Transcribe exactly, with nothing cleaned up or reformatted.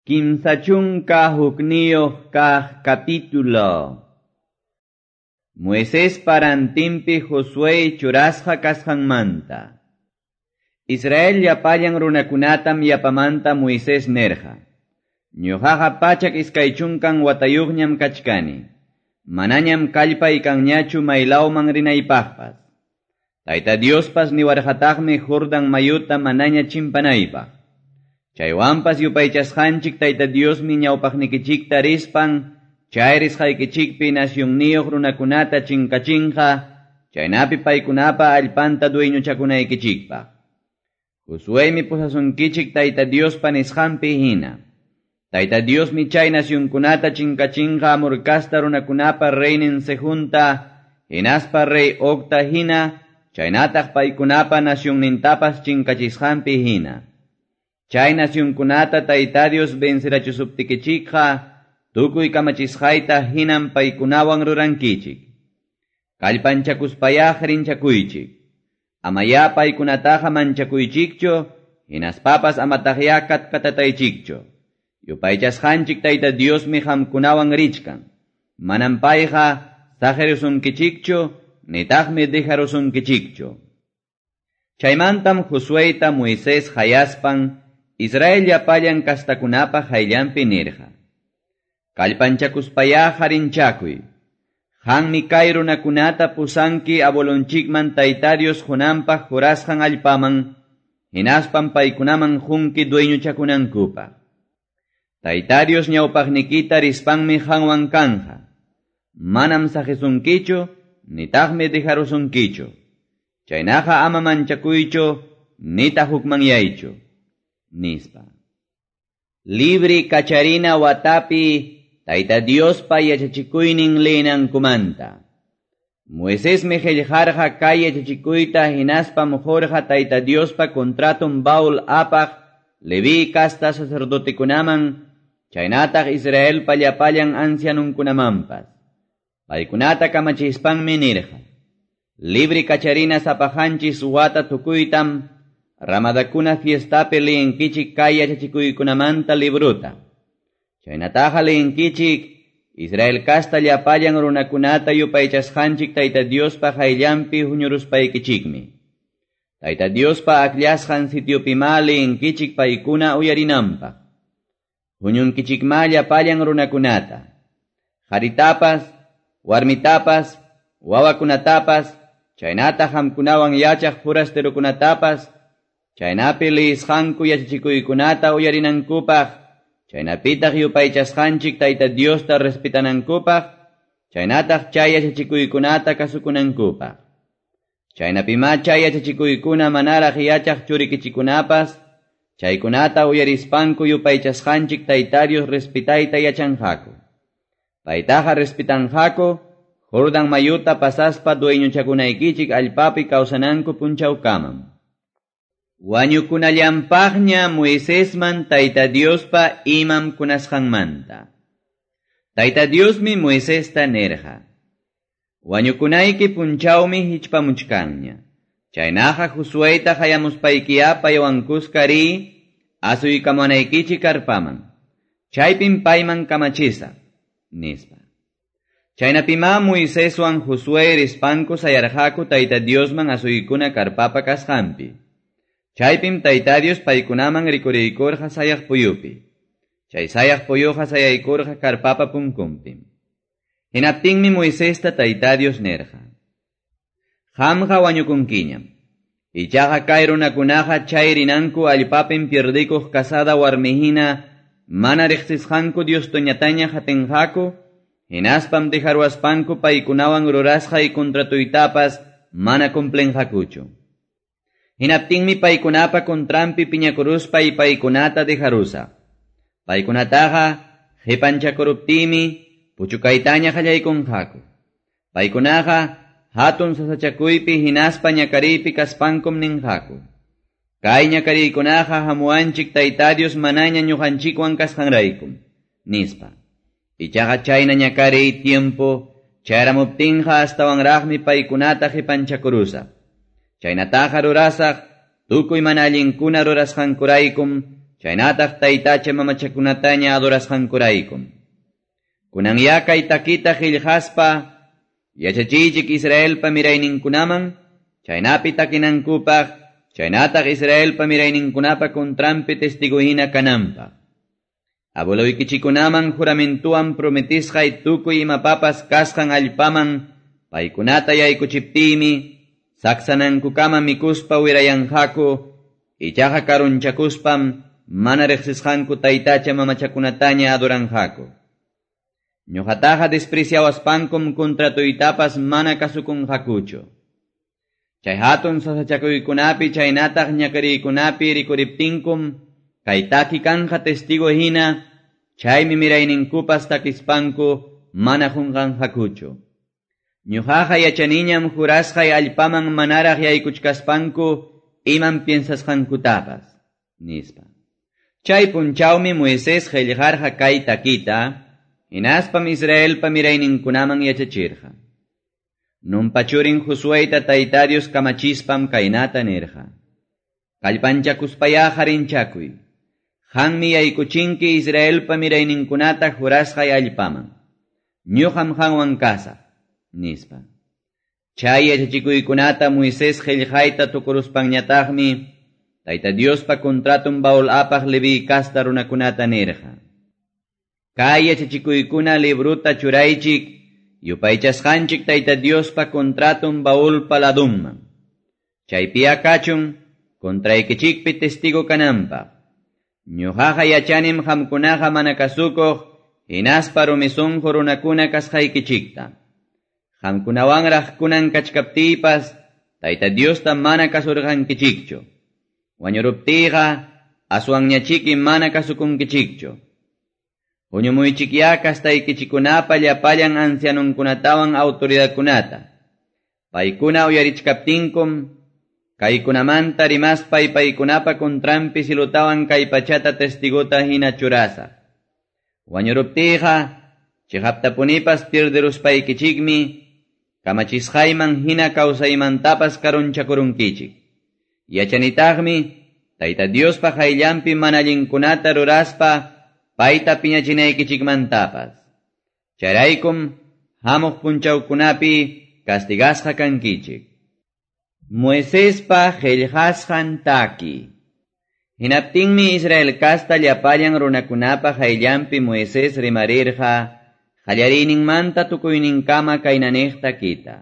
Kimsa chunka hukniyuq kaq capítulo. Moisés parantinpi Josué churasqa kasqanmanta. Israel llapallan runakunatam yapamanta Moisés nerqa. Ñuqaqa pachak iskay chunkan watayuqñam kachkani. Manañam kallpay kanñachu maylawman rinaypaqpas. Tayta Diospas niwarqataqmi Jordan mayuta manaña chimpanaypaq. Chaywanpas yupaychasqanchik Tayta Diosmi ñawpaqnikichikta rispan, chay risqaykichikpi nacionniyuq runakunata chinkachinqa, chaynapi paykunapa allpanta dueñochakunaykichikpaq. Josuémi pusasunkichik Tayta Diospa nisqanpi hina. Tayta Diosmi chay nacionkunata chinkachinqa Amor casta runakunapa reynin Sehonta, hinaspa rey Ogta hina, chaynataq paykunapa nacionnintapas chinkachisqanpi hina. Chay nacionkunata Tayta Dios vencerachusuptikichikqa, tukuy kamachisqayta hinam paykunawan rurankichik. Kallpanchakuspayá rinchakuychik. Amayá paykunataqa manchakuychikchu, hinaspapas amataqyá katkatataychikchu. Yupaychasqanchik Tayta Diosmi qamkunawan richkan. Manam payqa saqerusunkichikchu, nitaqmi dejarusunkichikchu. Chaymantam Josuéta Moisés hayaspan, Israel llapallan kastakunapa hayllanpi nirqa. Kallpanchakuspayá harinchakuy. Qanmi kay runakunata pusanki abuelonchikman Tayta Dios qunanpaq jurasqan allpaman, hinaspan paykunaman qunki dueñochakunankupaq. Tayta Dios ñawpaqnikita rispanmi qanwan kanja. Manam saqisunkichu, nitaqmi dejarusunkichu. Chaynaqa ama manchakuychu, nitaq hukmanyaychu. Nispa. Libri kacharina watapi Tayta Diospa yachachikuynin leenankumanta. Moisésmi qillqarqa kay yachachikuyta hinaspam qurqa Tayta Diospa contraton baul apaq Leví casta sacerdotekunaman, chaynataq Israelpa llapallan ancianunkunamanpas. Paykunata kamachispanmi nirqa. Libri kacharina sapaqanchis wata tukuytam Ramadakuna fiestapi leenkichik kay yachachikuykunamanta libruta. Chaynataqa leenkichik Israel casta llapallan runakunata yupaychasqanchik Tayta Diospa hayllanpi huñuruspaykichikmi. Tayta Diospa akllasqan sitiopimá leenkichik paykuna uyarinanpaq. Huñunkichikmá llapallan runakunata. Qaritapas, warmitapas, wawakunatapas, chaynataq qamkunawan yachaq forasterokunatapas, chaynapi leisqanku yachachikuykunata uyarinankupaq, chaynapitaq yupaychasqanchik Tayta Diosta respetanankupaq, chaynataq chay yachachikuykunata kasukunankupaq. Chaynapimá chay yachachikuykuna manaraq yachaq churikichikunapas, chaykunata uyarispanku yupaychasqanchik Tayta Dios respetayta yachanqaku. Paytaqa respetanqaku, Jordan mayuta pasaspa dueñochakunaykichik allpapi kawsananku punchawkamam. Wañukunallanpaqña Moisésman Tayta Diospa imam kunasqanmanta. Tayta Diosmi Moisesta nirqa. Wañukunayki punchawmi hichpamuchkanña. Chaynaqa Josuéta hayamuspaykiyá paywan kuska riy, asuykamunaykichik karpaman. Chaypim payman kamachisaq, nispa. Chaynapimá Moiséswan Josué rispanku sayarqaku Tayta Diosman asuykuna karpapa kasqanpi. Chaypim Tayta Dios paykunaman rikuriykurqa sayaq puyupi. Chay sayaq puyuqa sayaykurqa karpapa punkunpim. Hinaptinmi Moisesta Tayta Dios nirqa. Qamqa wañukunkiñam. Ichaqa kay runakunaqa chay rinanku allpapim pierdikuq casada warmihina mana riqsisqanku Diostoñataña hatinqaku, hinaspam dejaruaspanku paykunawan rurasqay contratuytapas mana cumplinqakuchu. Hinaptinmi paykunapa contranpi piñakuruspa y paykunata dejarusaq. Paykunataqa qipanchakuruptimi puchukaytaña qallaykunqaku. Paykunaqa hatun sasachakuypi hinaspa ñakariypi kaspankum ninqaku. Kay ñakariykunaqa hamuwanchik Tayta Dios manaña ñuqanchikwan kasqanraykum, nispa. Ichaqa chayna ñakariy tiempo chayramuptinqa astawanraqmi paykunata qipanchakurusaq. Chaynataqa rurasaq, tukuy mana allinkuna rurasqankuraykum, chaynataq taytacha mamachakunataña adorasqankuraykum. Kunanyá kay takita qillqaspa yachachiychik Israelpa mirayninkunaman, chaynapi takinankupaq, chaynataq Israelpa mirayninkunapa contranpi testigo hina kananpaq. Abueloykichikunaman juramentuwan prometisqay tukuy imapapas kasqan allpaman paykunata yaykuchiptiymi, saksanankukama mikuspa wirayanqaku, ichaqa karunchakuspam mana riqsisqanku taytacha mamachakunataña adoranqaku. Ñuqataqa despreciawaspankum contratuytapas mana kasukunqakuchu. Chay hatun sasachakuykunapi chaynataq ñakariykunapi rikuriptinkum, kay taki kanja testigo hina, chaymi mirayninkupas takispanku mana qunqanqakuchu. Ñuqaqa yachaniñam jurasqay allpaman manaraq yaykuchkaspanku imam piensasqankutapas, nispa. Chay punchawmi Moisés qillqarqa kay takita, hinaspam Israelpa mirayninkunaman yachachirqa. Nunpa churin Josueyta Tayta Dios kamachispam kaynata nirqa. Kallpanchakuspayá harinchakuy. Qanmi yaykuchinki Israelpa mirayninkunata jurasqay allpaman. Ñuqam qanwan kasaq, nispa. Chay yachachikuykunata Moisés qillqayta tukuruspanñataqmi Tayta Diospa contratun baul apaq Leví kasta runakunata nirqa. Kay yachachikuykuna libruta churaychik, yupaychasqanchik Tayta Diospa contratun baulpa ladunman. Chaypiya kachun, contraykichikpi testigo kananpaq. Ñuqaqa yachanim qamkunaqa mana kasukuq, hinaspa rumi sunqu runakuna kasqaykichikta. Qamkunawanraq kunan kachkaptiypas, Tayta Diosta mana kasurqankichikchu. Wañuruptiyqa, aswanñachiki mana kasukunkichikchu. Huñumuychikyá kastaykichikunapa llapallan ancianunkunatawan autoridadkunata. Paykuna uyarichkaptinkum, kaykunamanta rimaspay paykunapa contranpi cilutawan kay pachata testigota hina churasaq. Wañuruptiyqa, chiqaptapunipas pierderuspaykichikmi, kamachisqayman hina kawsaymantapas karunchakurunkichik. Yachanitaqmi, Tayta Diospa qayllanpi mana allinkunata ruraspa, payta piñachinaykichikmantapas. Chayraykum, hamuq punchawkunapi castigasqa kankichik. Moisespa qillqasqan taki. Hinaptinmi Israel kasta llapallan runakunapa qayllanpi Moisés rimarirqa, qallariyninmanta tukuyninkama kaynaniq takita.